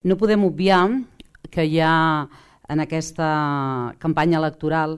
No podem obviar que hi ha en aquesta campanya electoral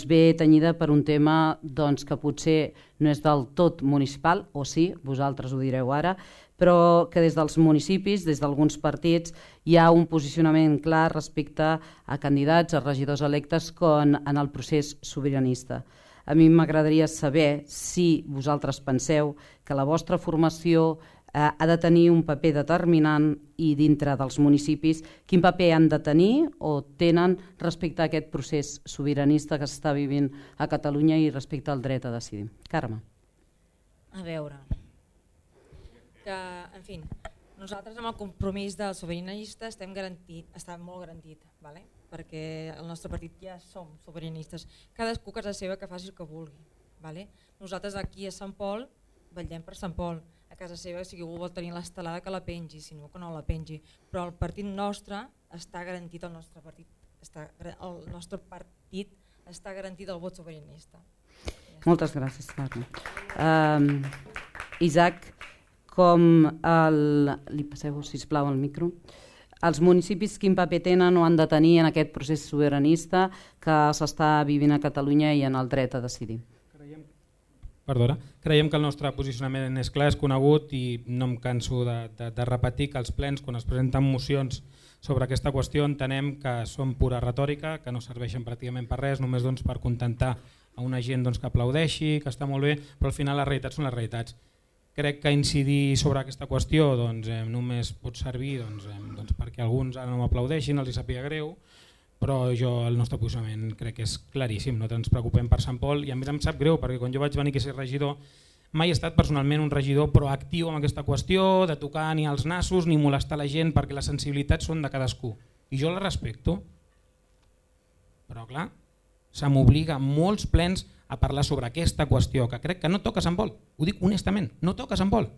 ve tenyida per un tema que potser no és del tot municipal, o sí, vosaltres ho direu ara, però que des dels municipis, des d'alguns partits, hi ha un posicionament clar respecte a candidats, a regidors electes com en el procés sobiranista. A mi m'agradaria saber si vosaltres penseu que la vostra formació ha de tenir un paper determinant i dintre dels municipis quin paper han de tenir o tenen respecte a aquest procés sobiranista que s'està vivint a Catalunya i respecte al dret a decidir. Carme. A veure, que, en fi, nosaltres amb el compromís del sobiranista està molt garantit, ¿vale? Perquè el nostre partit ja som sobiranistes, cadascú a casa seva que faci el que vulgui. ¿Vale? Nosaltres aquí a Sant Pol vetllem per Sant Pol, a casa seva si algú vol tenir l'estelada que la pengi, si no que no la pengi, però el partit nostre està garantit, el nostre partit està garantit el vot sobiranista. Moltes gràcies, Carme. Isaac, li passeu, sisplau, el micro. Els municipis quin paper tenen o han de tenir en aquest procés sobiranista que s'està vivint a Catalunya i en el dret a decidir? Creiem que el nostre posicionament és clar, és conegut i no em canso de repetir que els plens, quan es presenten mocions sobre aquesta qüestió, entenem que són pura retòrica, que no serveixen pràcticament per res, només per contentar a una gent que aplaudeixi, que està molt bé, però al final les realitats són les realitats. Crec que incidir sobre aquesta qüestió només pot servir perquè alguns ara no m'aplaudeixin, els hi sàpiga greu, però el nostre posicionament crec que és claríssim, no ens preocupem per Sant Pol i a més em sap greu perquè quan jo vaig venir a ser regidor mai he estat personalment un regidor proactiu en aquesta qüestió, de tocar ni els nassos ni molestar la gent perquè les sensibilitats són de cadascú i jo les respecto, però clar, se m'obliga molts plens a parlar sobre aquesta qüestió que crec que no toca Sant Pol, ho dic honestament, no toca Sant Pol.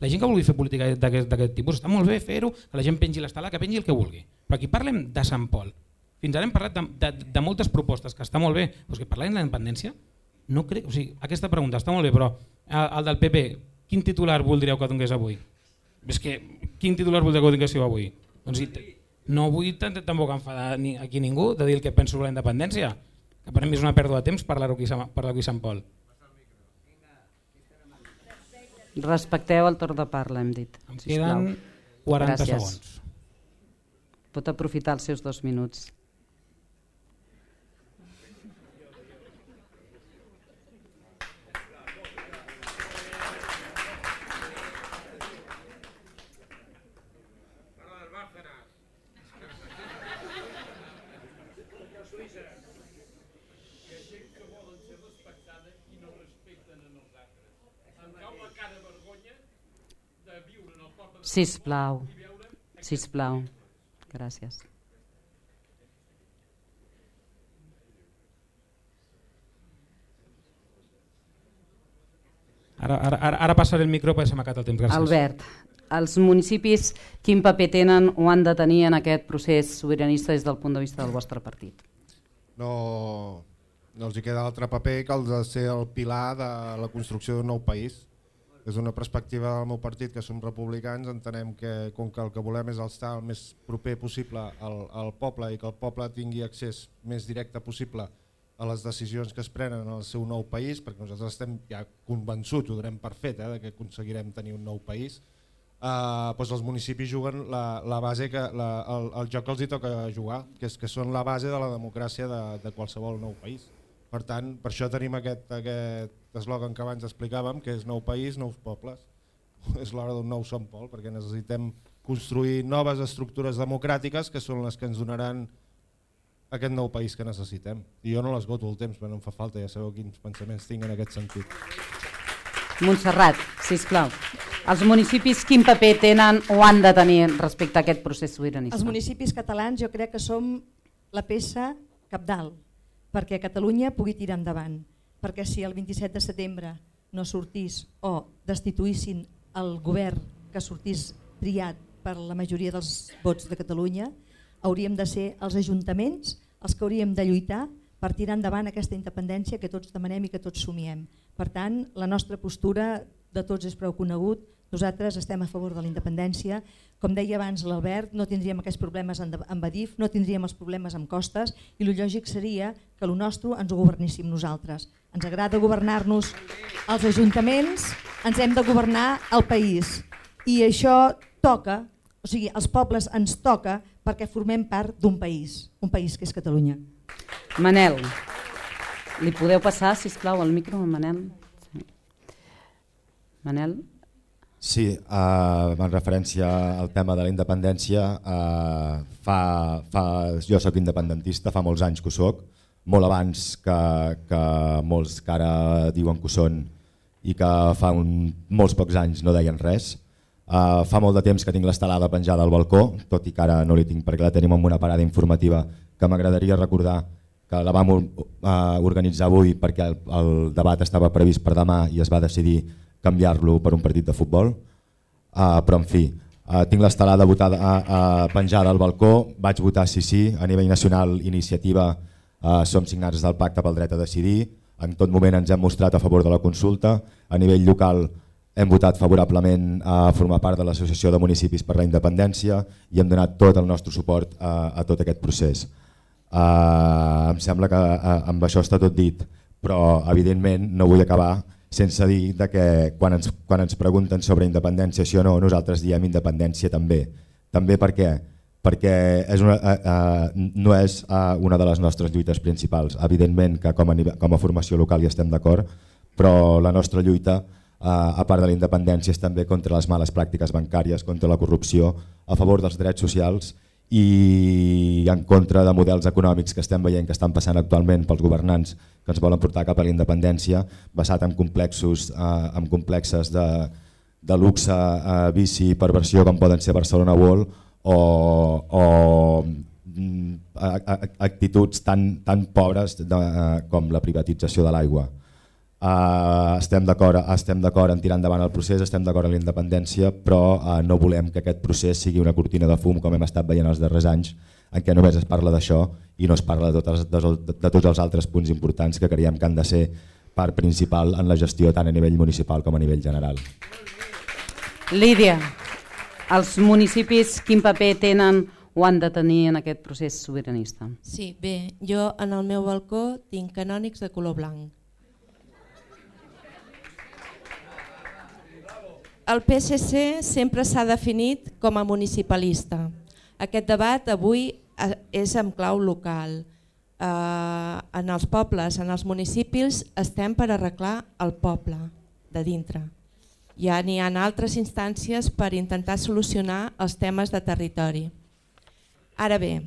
La gent que vulgui fer política d'aquest tipus està molt bé fer-ho, que la gent pengi l'estelada, que pengi el que vulgui, però aquí parlem de Sant Pol. Fins ara hem parlat de moltes propostes, que està molt bé, però que parlem de la independència, no crec, o sigui, aquesta pregunta està molt bé, però el del PP, quin titular voldríeu que donés avui? És que, quin titular voldríeu que donés avui? Doncs no vull tampoc enfadar aquí ningú de dir el que penso sobre la independència, que per mi és una pèrdua de temps parlar-ho aquí a Sant Pol. Respecteu el torn de parla, hem dit. Em queden 40 segons. Pot aprofitar els seus 2 minuts. Sisplau, sisplau. Gràcies. Ara passaré el micro perquè se m'ha acabat el temps. Gràcies. Albert, els municipis quin paper tenen o han de tenir en aquest procés sobiranista des del punt de vista del vostre partit? No els hi queda altre paper que el de ser el pilar de la construcció d'un nou país. Des d'una perspectiva del meu partit, que som republicans, entenem que com que el que volem és estar el més proper possible al poble i que el poble tingui accés més directe possible a les decisions que es prenen en el seu nou país, perquè nosaltres estem ja convençuts, ho donem per fet, que aconseguirem tenir un nou país, doncs els municipis juguen la base, el joc que els hi toca jugar, que són la base de la democràcia de qualsevol nou país. Per tant, per això tenim aquest eslògan que abans explicàvem, que és nou país, nous pobles. És l'hora d'un nou Sant Pol, perquè necessitem construir noves estructures democràtiques que són les que ens donaran aquest nou país que necessitem. I jo no l'esgoto el temps, però no em fa falta, ja sabeu quins pensaments tinc en aquest sentit. Montserrat, sisplau. Els municipis quin paper tenen o han de tenir respecte a aquest procés sobiranista? Els municipis catalans jo crec que som la peça cabdal perquè Catalunya pugui tirar endavant, perquè si el 27 de setembre no sortís o destituïssin el govern que sortís triat per la majoria dels vots de Catalunya, hauríem de ser els ajuntaments els que hauríem de lluitar per tirar endavant aquesta independència que tots demanem i que tots somiem. Per tant, la nostra postura de tots és prou conegut, nosaltres estem a favor de la independència, Com deia abans l'Albert, no tindríem aquests problemes amb Adif, no tindríem els problemes amb Costes i el lògic seria que el nostre ens ho governíssim nosaltres. Ens agrada governar-nos els ajuntaments, ens hem de governar el país i això toca, o sigui, els pobles ens toca perquè formem part d'un país, un país que és Catalunya. Manel, li podeu passar, sisplau, el micro a Manel? Sí. Manel? Sí, en referència al tema de la independència, jo soc independentista, fa molts anys que ho soc, molt abans que molts que ara diuen que ho són i que fa molts pocs anys no deien res. Fa molt de temps que tinc l'estelada penjada al balcó, tot i que ara no l'hi tinc perquè la tenim en una parada informativa que m'agradaria recordar que la vam organitzar avui perquè el debat estava previst per demà i es va decidir canviar-lo per un partit de futbol, però en fi, tinc l'estelada penjada al balcó, vaig votar sí, a nivell nacional iniciativa som signats del pacte pel dret a decidir, en tot moment ens hem mostrat a favor de la consulta, a nivell local hem votat favorablement a formar part de l'Associació de Municipis per la Independència i hem donat tot el nostre suport a tot aquest procés. Em sembla que amb això està tot dit, però evidentment no vull acabar sense dir que quan ens pregunten sobre independència sí o no, nosaltres diem independència també. També per què? Perquè no és una de les nostres lluites principals. Evidentment que com a formació local hi estem d'acord, però la nostra lluita, a part de la independència, és també contra les males pràctiques bancàries, contra la corrupció, a favor dels drets socials i en contra de models econòmics que estem veient que estan passant actualment pels governants que ens volen portar cap a la independència, basat en complexes de luxe, vici i perversió com poden ser Barcelona World o actituds tan pobres com la privatització de l'aigua. Estem d'acord en tirar endavant el procés, estem d'acord en la independència, però no volem que aquest procés sigui una cortina de fum com hem estat veient els darrers anys, en què només es parla d'això i no es parla de tots els altres punts importants que creiem que han de ser part principal en la gestió tant a nivell municipal com a nivell general. Lídia, els municipis quin paper tenen o han de tenir en aquest procés sobiranista? Sí, bé, jo en el meu balcó tinc canònics de color blanc. El PSC sempre s'ha definit com a municipalista. Aquest debat avui és en clau local. En els pobles, en els municipis, estem per arreglar el poble de dintre. Ja n'hi ha altres instàncies per intentar solucionar els temes de territori. Ara bé,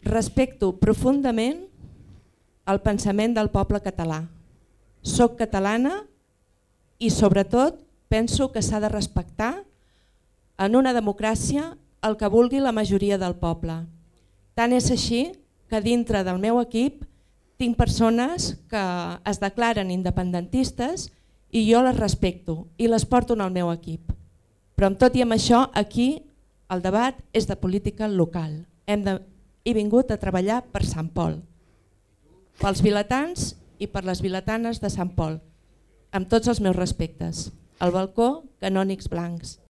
respecto profundament el pensament del poble català. Soc catalana i sobretot penso que s'ha de respectar en una democràcia el que vulgui la majoria del poble. Tant és així que dintre del meu equip tinc persones que es declaren independentistes i jo les respecto i les porto en el meu equip. Però amb tot i amb això, aquí el debat és de política local. He vingut a treballar per Sant Pol, pels vilatans i per les vilatanes de Sant Pol, amb tots els meus respectes. Al balcó, canònics blancs.